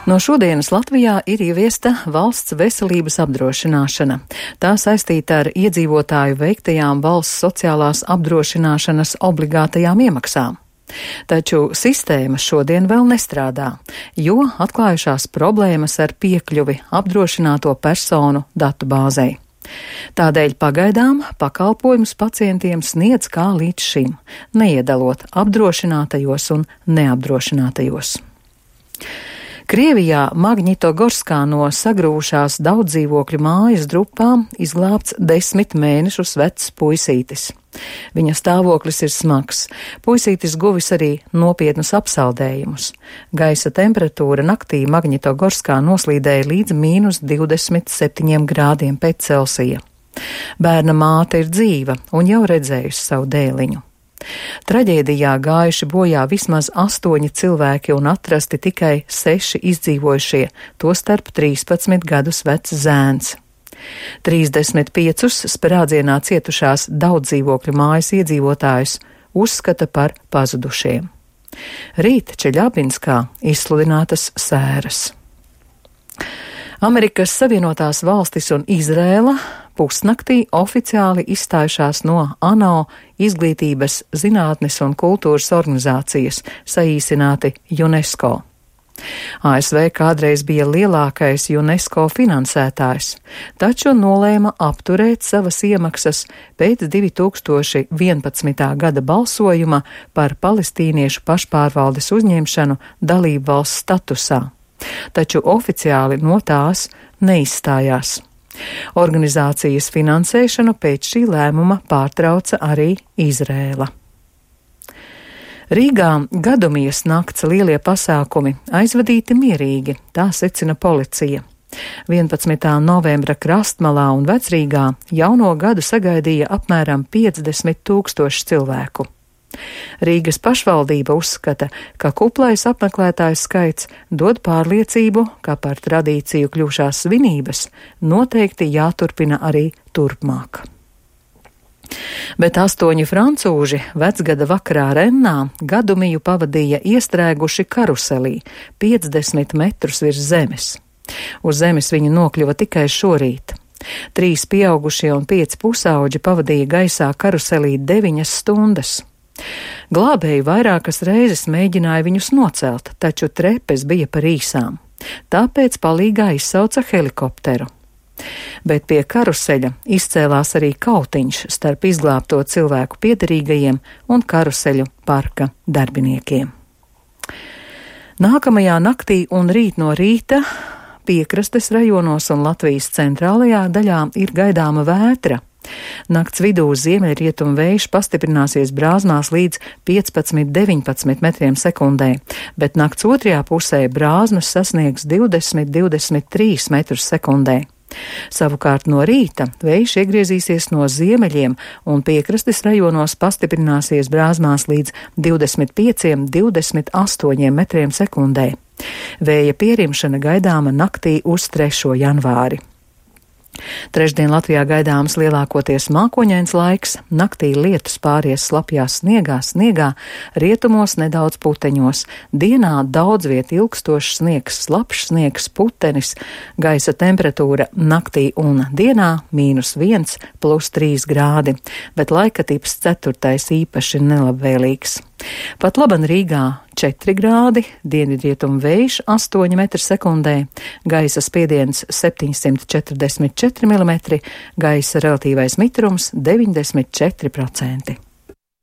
No šodienas Latvijā ir ieviesta valsts veselības apdrošināšana. Tā saistīta ar iedzīvotāju veiktajām valsts sociālās apdrošināšanas obligātajām iemaksām. Taču sistēma šodien vēl nestrādā, jo atklājušās problēmas ar piekļuvi apdrošināto personu datu bāzei. Tādēļ pagaidām pakalpojumus pacientiem sniedz kā līdz šim, neiedalot apdrošinātajos un neapdrošinātajos. Krievijā Magnitogorskā no sagrūvušās daudzdzīvokļu mājas drupām izglābts 10 mēnešus vecs puisītis. Viņa stāvoklis ir smags. Puisītis guvis arī nopietnus apsaldējumus. Gaisa temperatūra naktī Magnitogorskā noslīdēja līdz -27 grādiem pēc Celsija. Bērna māte ir dzīva un jau redzējusi savu dēliņu. Traģēdijā gājuši bojā vismaz 8 cilvēki un atrasti tikai 6 izdzīvojušie, tostarp 13 gadus vecs zēns. 35 sprādzienā cietušās daudzdzīvokļu mājas iedzīvotājus uzskata par pazudušiem. Rīt Čeļabinskā izsludinātas sēras. Amerikas Savienotās valstis un Izrēla pusnaktī oficiāli izstājušās no ANO izglītības, zinātnes un kultūras organizācijas, saīsināti UNESCO. ASV kādreiz bija lielākais UNESCO finansētājs, taču nolēma apturēt savas iemaksas pēc 2011. gada balsojuma par palestīniešu pašpārvaldes uzņemšanu dalību valsts statusā, taču oficiāli no tās neizstājās. Organizācijas finansēšanu pēc šī lēmuma pārtrauca arī Izrēla. Rīgā Gadumijas nakts lielie pasākumi aizvadīti mierīgi, tā secina policija. 11. novembra Krastmalā un Vecrīgā jauno gadu sagaidīja apmēram 50 000 cilvēku. Rīgas pašvaldība uzskata, ka kuplais apmeklētājs skaits dod pārliecību, ka par tradīciju kļuvušās svinības noteikti jāturpina arī turpmāk. Bet 8 francūži vecgada vakarā Rennā Gadumiju pavadīja iestrēguši karuselī 50 metrus virs zemes. Uz zemes viņi nokļuva tikai šorīt. 3 pieaugušie un 5 pusauģi pavadīja gaisā karuselī 9 stundas. Glābēji vairākas reizes mēģināja viņus nocelt, taču trepes bija par īsām. Tāpēc palīgā izsauca helikopteru. Bet pie karuseļa izcēlās arī kautiņš starp izglābto cilvēku piederīgajiem un karuseļu parka darbiniekiem. Nākamajā naktī un rīt no rīta piekrastes rajonos un Latvijas centrālajā daļā ir gaidāma vētra. Nakts vidū ziemeļrietumu vējš pastiprināsies Brāzmās līdz 15–19 metriem sekundē, bet nakts otrajā pusē brāzmas sasniegs 20–23 metrus sekundē. Savukārt no rīta vējš iegriezīsies no ziemeļiem un piekrastes rajonos pastiprināsies Brāzmās līdz 25–28 metriem sekundē. Vēja pierimšana gaidāma naktī uz 3. janvāri. Trešdien Latvijā gaidāms lielākoties mākoņains laiks, naktī lietus pāries slapjā sniegā, rietumos nedaudz puteņos, dienā daudz viet ilgstošs sniegs, slapjš sniegs, putenis, gaisa temperatūra naktī un dienā -1 + 3 grādi, bet laikatips 4. īpaši nelabvēlīgs. Pat laban Rīgā 4 grādi, dienvidrietumu vējš 8 metri sekundē, gaisa spiediens 744 mm, gaisa relatīvais mitrums 94%.